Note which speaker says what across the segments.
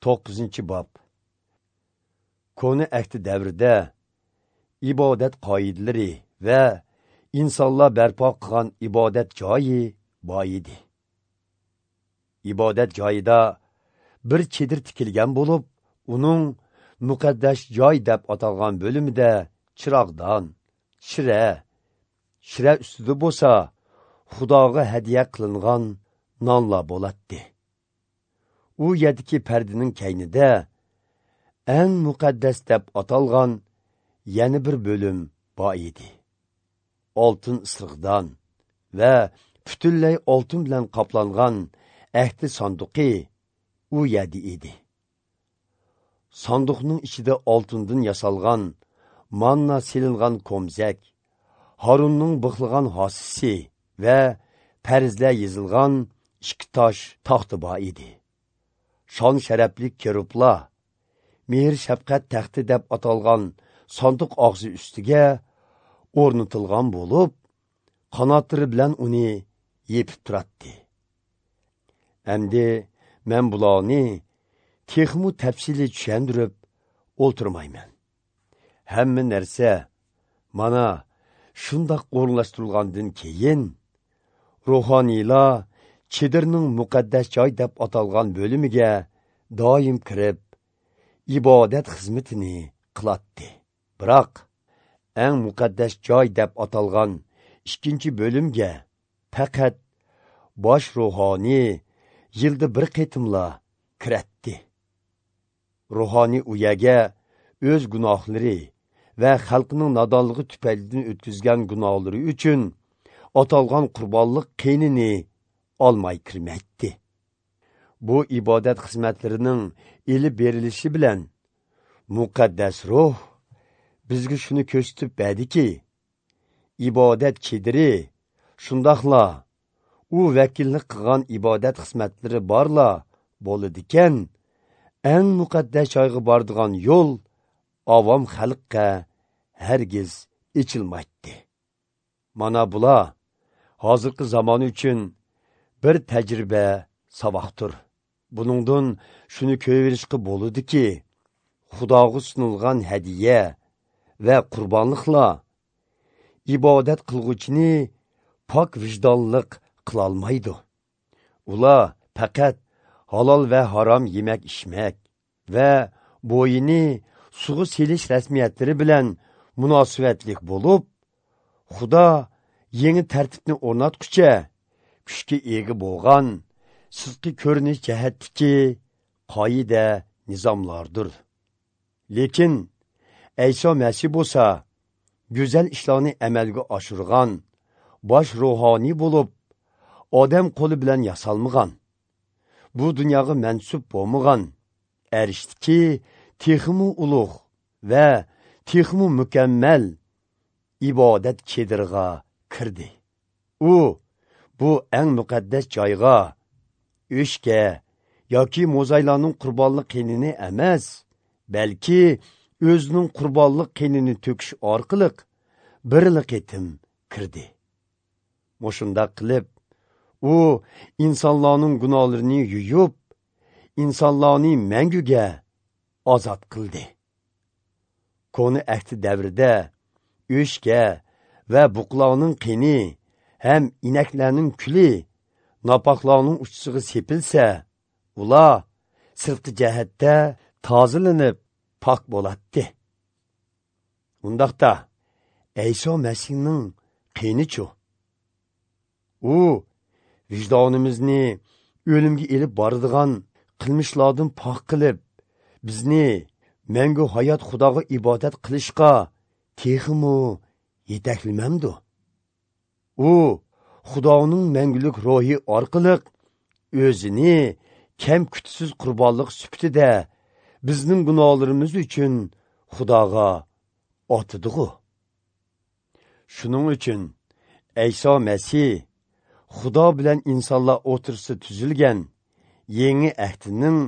Speaker 1: 9-bob. Koni ahdi davrida ibodat qoidalari va insonlar barpo qilgan ibodat joyi bor edi. Ibodat joyida bir chedir tikilgan bo'lib, uning muqaddas joy deb atalgan bo'limida chiroqdan, shira ustida bo'lsa, Xudoga hadiya qilingan nonlar bo'latdi. U yerdagi pardaning kaynida eng muqaddas deb atalgan yana bir bo'lim bor edi. Oltin isriqdan va butunlay oltin bilan qoplangan ahdi sanduqi u yerda edi. Sanduqning ichida oltindan yasalgan manna selingan komzak, Harunning bixlagan hosisi va farzlar yozilgan ikki tosh taxti bor edi. Shon sharafli kerublar mehr shafqat taxti deb atalgan sanduq og'zi ustiga o'rnatilgan bo'lib, qanotlari bilan uni yepib turatdi. Endi men bularni texmu tafsili tushuntirib o'ltirmayman. Hamma narsa mana shundoq o'rinlashtirilgandan keyin ruhoniylar chedirning muqaddas joy deb atalgan bo'limiga doim kirib ibodat xizmatini qilatdi. Biroq eng muqaddas joy deb atalgan ikkinchi bo'limga faqat bosh ruhoniy yilda bir qitimla kiratdi. Ruhoniy u yerga o'z gunohlari va xalqning nodonligi tufaylidan o'tkazgan gunohlari uchun atalgan qurbonlik qinini olmay kirmaydi. Bu ibodat xizmatlarining elib berilishi bilan muqaddas ruh bizga shuni ko'rsatib berdiki, ibodat chediri shundoqla u vakillik qilgan ibodat xizmatlari borla bo'ladigan eng muqaddas joyga boradigan yo'l avom xalqqa hargiz ichilmaydi. Mana bular hozirgi zamon uchun bir tajriba saboqdir. Buningdan shuni ko'rishga bo'ladiki, Xudoga sunilgan hadiya va qurbonliqlar ibodat qilg'uvchini pok vijdonliq qilolmaydi. Ular faqat halol va harom yemak ichmak va bo'yini sug'i selish rasmiyatlari bilan munosabatlik bo'lib, Xudo yangi tartibni o'rnatguncha kuchga ega bo'lgan sirtqi ko'rinish jihatdagi qoida nizomlardir. Lekin Ayso Masih bo'lsa, go'zal ishlarni amalga oshirgan bosh ruhoniy bo'lib, odam qo'li bilan yasalmagan, bu dunyoga mansub bo'lmagan, arishdiki texmu ulug' va texmu mukammal ibodat chedirg'a kirdi. U bu eng muqaddas joyga o'shga yoki mo'zaylarning qurbonlik qinini emas, balki o'zining qurbonlik qinini to'kish orqali birli qitim kirdi. Mo'shundaq qilib, u insonlarning gunohlarini yuyib, insonlarni manguga ozod qildi. Koni ahdi davrida o'shga va buqlarning qini ham inaklarning kuli nopoklarning uchisiga sepilsa, ular sirtqi jihatda tozalanib pok bo'latdi. Undaqda Ayso Masihning qinichu? U vijdonimizni o'limga elib boradigan qilmishlardan pok qilib, bizni mangu hayot Xudoga ibodat qilishga texmu yetaklamamdi. U Xudoning mangulik ruhi orqali o'zini kam kutsiz qurbonlik sifatida bizning gunohlarimiz uchun Xudoga otidi. Shuning uchun Ayso Masih Xudo bilan insonlar o'rtasida tuzilgan yangi ahdining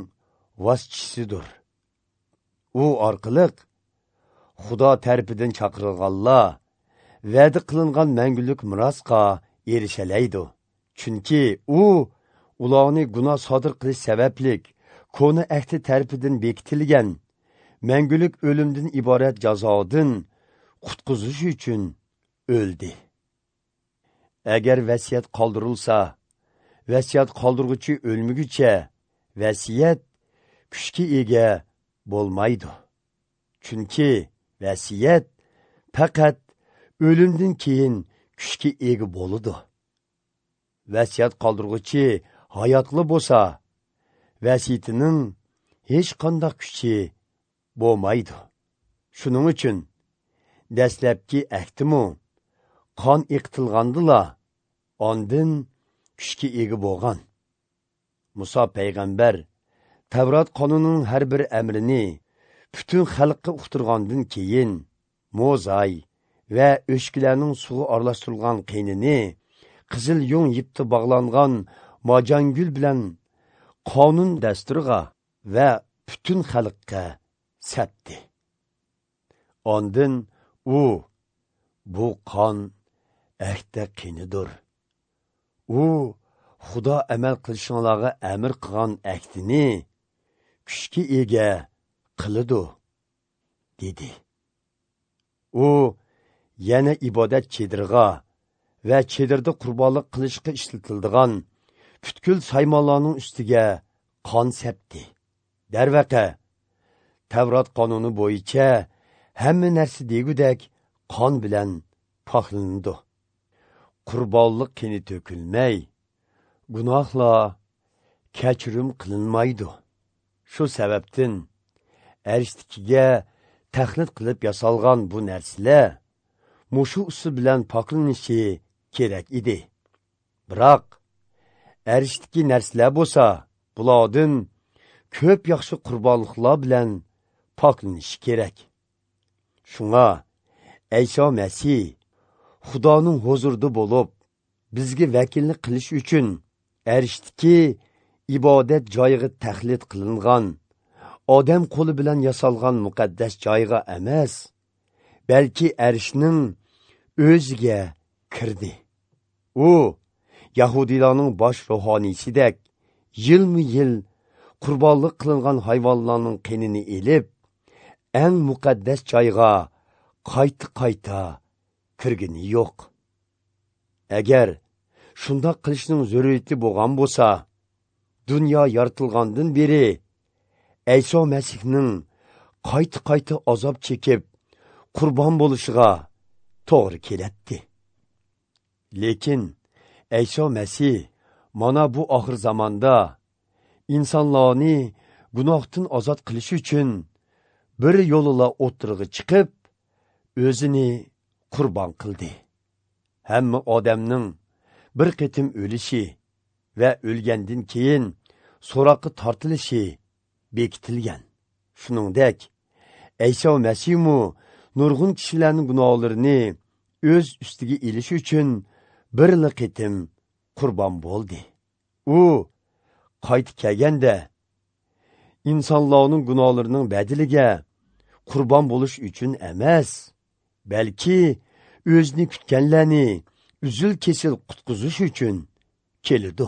Speaker 1: vositasidir. U orqali Xudo tarafidan chaqirilganlar va'da qilingan mangulik merosga erishalaydi. Chunki u ularni gunoh sodir qilish sababli Kona ahdi tarafidan bekitilgan mangulik o'limdan iborat jazodan qutqizish uchun o'ldi. Agar vasiyat qoldirilsa, vasiyat qoldirg'uchi o'lmaguncha vasiyat kuchga ega bo'lmaydi. Chunki vasiyat faqat o'limdan keyin kuchga ega bo'ladi. Vasiyat qoldirg'uchi hayotli bo'lsa, vasiyatining hech qanday kuchi bo'lmaydi. Shuning uchun dastlabki ahdimi qon eqitilgandila ondin kuchga ega bo'lgan. Musa payg'ambar Tavrat qonunining har bir amrini butun xalqqa uqtirgandan keyin mozay va o'shkilarning suvi aralashtirilgan qinini qizil yung yipda bog'langan mojangul bilan qonun dasturiga va butun xalqqa sapdi. Ondin u bu qon ahda qinidir. U Xudo amal qilishinglarga amr qilgan ahdini kuchga ega qiladi, dedi. U yana ibodat chedirg'a va chedirda qurbonlik qilishga ishlatiladigan butkul saymonlarning ustiga qon sepdi. Darvaqa, Tavrat qonuni bo'yicha hamma narsa degudek qon bilan poklanadi. Qurbonlik qini to'kilmay, gunohlar kechirim qilinmaydi. Shu sababdan arishdikiga taxlit qilib yasalgan bu narsalar mushu usul bilan poklanishi kerak edi. Biroq arishdiki narsalar bo'lsa, bulardan ko'p yaxshi qurbonliklar bilan poklanishi kerak. Shunga Ayso Masih Xudoning huzurida bo'lib, bizga vakillik qilish uchun arishdiki ibodat joyiga taxlit qilingan, odam qo'li bilan yasalgan muqaddas joyga emas, balki arishning o'ziga kirdi. U Yahudiylarning bosh ruhoniysidek yilma-yil qurbonlik qilingan hayvonlarning qinini elib, eng muqaddas joyga qayta-qayta kirgini yo'q. Agar shundoq qilishning zaruriyati bo'lgan bo'lsa, dunyo yaratilgandan beri Ayso Masihning qayta-qayta azob chekib qurbon bo'lishiga to'g'ri keladi. Lekin Ayso Masih mana bu oxir zamonda insonlarni gunohdan ozod qilish uchun bir yo'lila o'tirg'i chiqib, o'zini qurbon qildi. Hamma odamning bir qitim o'lishi va o'lgandan keyin so'roqqa tortilishi bekitilgan. Shuningdek, Ayso Masihmu nurg'un kishilarning gunohlarini o'z ustiga ilish uchun bir qitim qurbon bo'ldi. U qaytib kelganda insonlarning gunohlarining badiliga qurbon bo'lish uchun emas, balki o'zini kutganlarni uzil-kesil qutqizish uchun keladi.